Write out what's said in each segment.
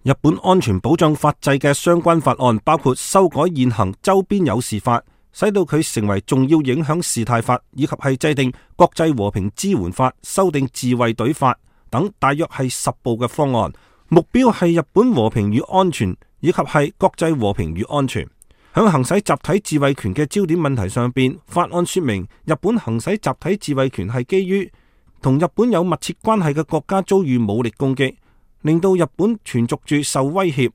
日本安全保障法制嘅相關法案包括修改現行周邊有事法，使到佢成為重要影響事態法，以及係制定國際和平支援法、修訂自衛隊法等，大約係10部嘅方案。目標係日本和平與安全，以及係國際和平與安全。響行使集體自衛權嘅焦點問題上邊，法案說明日本行使集體自衛權係基於同日本有密切關係嘅國家遭遇武力攻擊，令到日本存續住受威脅，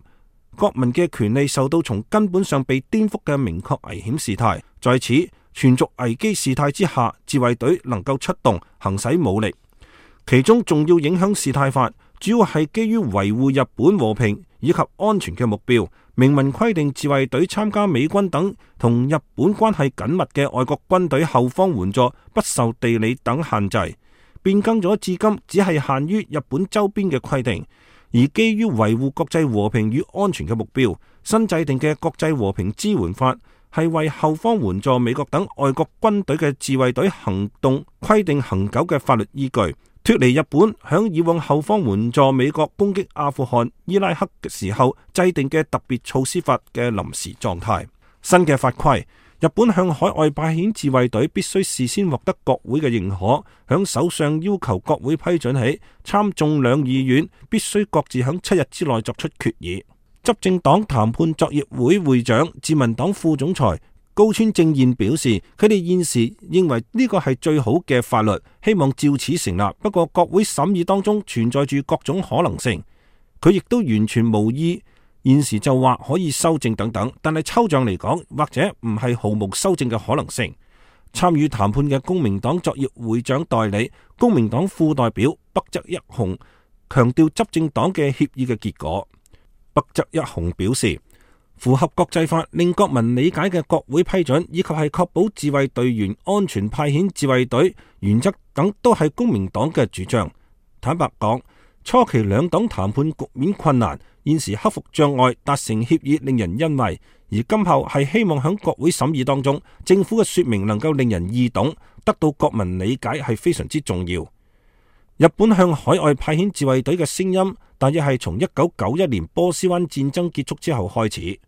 國民嘅權利受到從根本上被顛覆嘅明確危險事態。在此存續危機事態之下，自衛隊能夠出動行使武力。其中重要影響事態法主要係基於維護日本和平以及安全嘅目標，明文規定自衛隊參加美軍等同日本關係緊密嘅外國軍隊後方援助不受地理等限制，變更咗至今只係限於日本周邊嘅規定。而基於維護國際和平與安全嘅目標，新制定嘅國際和平支援法係為後方援助美國等外國軍隊嘅自衛隊行動規定恒久嘅法律依據，脫離日本響以往後方援助美國攻擊阿富汗、伊拉克嘅時候制定嘅特別措施法嘅臨時狀態。新嘅法規，日本向海外派遣自衛隊必須事先獲得國會嘅認可，響首相要求國會批准起，參眾兩議院必須各自響7日之內作出決議。執政黨談判作業會會長自民黨副總裁高村正彥表示，佢哋現時認為呢個係最好嘅法律，希望照此成立。不過國會審議當中存在住各種可能性，佢亦都完全無意現時就話可以修正等等。但係抽象嚟講，或者唔係毫無修正嘅可能性。參與談判嘅公明黨作業會長代理、公明黨副代表北澤一雄強調執政黨嘅協議嘅結果。北澤一雄表示，符合國際法、令國民理解嘅國會批准，以及係確保自衛隊員安全派遣自衛隊原則等，都係公明黨嘅主張。坦白講，初期兩黨談判局面困難，現時克服障礙達成協議令人欣慰，而今後係希望喺國會審議當中，政府嘅說明能夠令人易懂，得到國民理解係非常之重要。日本向海外派遣自衛隊嘅聲音，大約係從1991年波斯灣戰爭結束之後開始。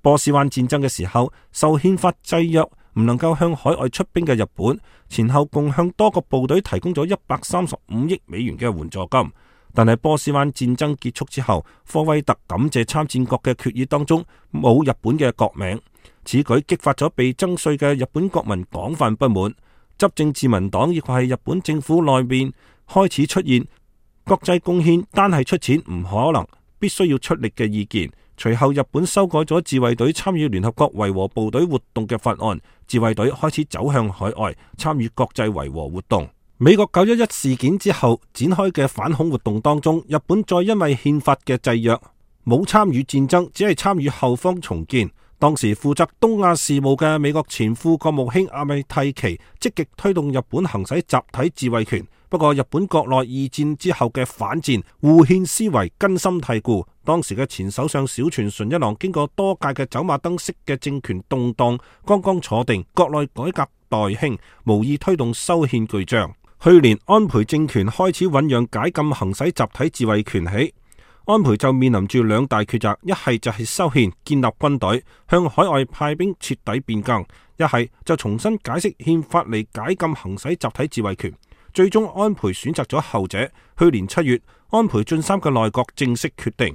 波斯灣戰爭嘅時候，受憲法制約，唔能夠向海外出兵嘅日本，前後共向多個部隊提供咗135億美元嘅援助金。但係波斯灣戰爭結束之後，科威特感謝參戰國嘅決議當中冇日本嘅國名，此舉激發咗被徵稅嘅日本國民廣泛不滿。執政自民黨亦係日本政府內面開始出現國際貢獻單係出錢唔可能，必須要出力嘅意見。隨後日本修改咗自衛隊參與聯合國維和部隊活動嘅法案，自衛隊開始走向海外參與國際維和活動。美國911事件之後展開嘅反恐活動當中，日本再因為憲法嘅制約冇參與戰爭，只係參與後方重建。當時負責東亞事務嘅美國前副國務卿阿米蒂奇積極推動日本行使集體自衛權，不過日本國內二戰之後嘅反戰護憲思維根深蒂固，當時嘅前首相小泉純一郎經過多屆嘅走馬燈式嘅政權動盪，剛剛坐定，國內改革待興，無意推動修憲巨象。去年安倍政權開始醞釀解禁行使集體自衛權起，安倍就面臨住兩大抉擇，一係就係修憲建立軍隊，向海外派兵徹底變更，一係就重新解釋憲法嚟解禁行使集體自衛權。最終安倍選擇咗後者。去年7月，安倍晉三嘅內閣正式決定。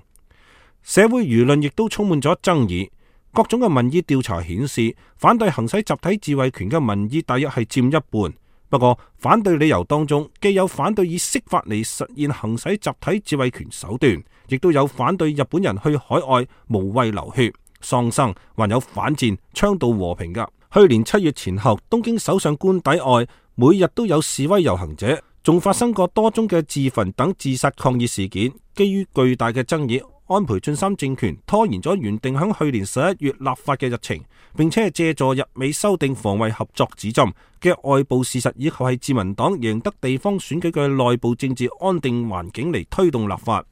社會輿論亦都充滿咗爭議，各種嘅民意調查顯示，反對行使集體自衛權嘅民意大約係佔一半。不過反對理由當中，既有反對以釋法嚟實現行使集體自衛權手段，亦都有反對日本人去海外無謂流血喪生，還有反戰倡導和平噶。去年7月前後，東京首相官邸外每日都有示威遊行者，仲發生過多宗嘅自焚等自殺抗議事件。基於巨大嘅爭議，安倍晉三政權拖延咗原定響去年11月立法嘅日程，並且係借助日美修訂防衛合作指針嘅外部事實，以及係自民黨贏得地方選舉嘅內部政治安定環境嚟推動立法。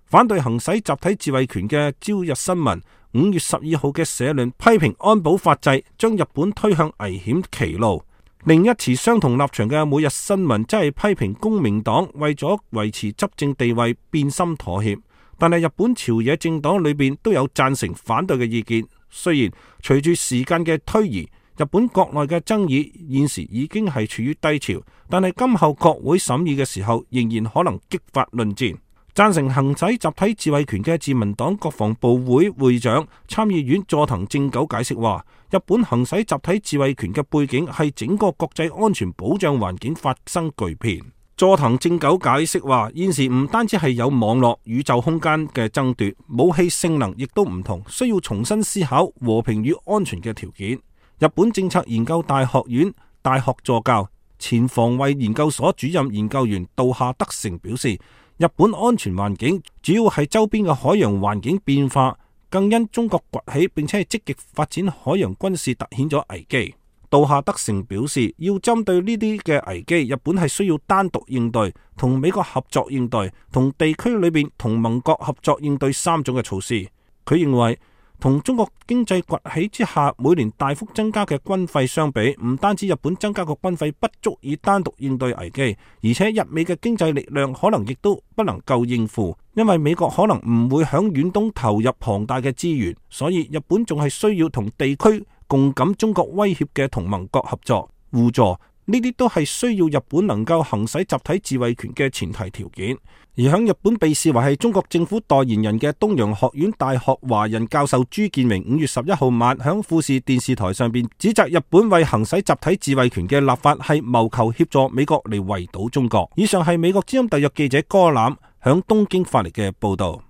反對行使集體自衛權嘅朝日新聞5月12號嘅社論批評安保法制將日本推向危險歧路。另一持相同立場嘅每日新聞則係批評公明黨為咗維持執政地位變心妥協，但係日本朝野政黨裏邊都有贊成反對嘅意見。雖然隨住時間嘅推移，日本國內嘅爭議現時已經係處於低潮，但係今後國會審議嘅時候，仍然可能激發論戰。贊成行使集體自衛權嘅自民黨國防部會會長參議院佐藤正久解釋話，日本行使集體自衛權嘅背景係整個國際安全保障環境發生巨變。佐藤正久解釋話，現時唔單止係有網絡、宇宙空間嘅爭奪，武器性能亦都唔同，需要重新思考和平與安全嘅條件。日本政策研究大學院大學助教、前防衛研究所主任研究員杜下德成表示，日本安全環境主要係周邊嘅海洋環境變化，更因中國崛起並且係積極發展海洋軍事，凸顯咗危機。杜下德成表示，要針對呢啲嘅危機，日本係需要單獨應對、同美國合作應對、同地區裏邊同盟國合作應對三種嘅措施。佢認為，同中國經濟崛起之下每年大幅增加嘅軍費相比，唔單止日本增加個軍費不足以單獨應對危機，而且日美嘅經濟力量可能亦都不能夠應付，因為美國可能唔會響遠東投入龐大嘅資源，所以日本仲係需要同地區共感中國威脅嘅同盟國合作互助。呢啲都係需要日本能夠行使集體自衛權嘅前提條件。而喺日本被視為係中國政府代言人嘅東洋學院大學華人教授朱建榮5月11號晚響富士電視台上邊指責日本為行使集體自衛權嘅立法係謀求協助美國嚟圍堵中國。以上係美國之音特約記者哥欖響東京發嚟嘅報道。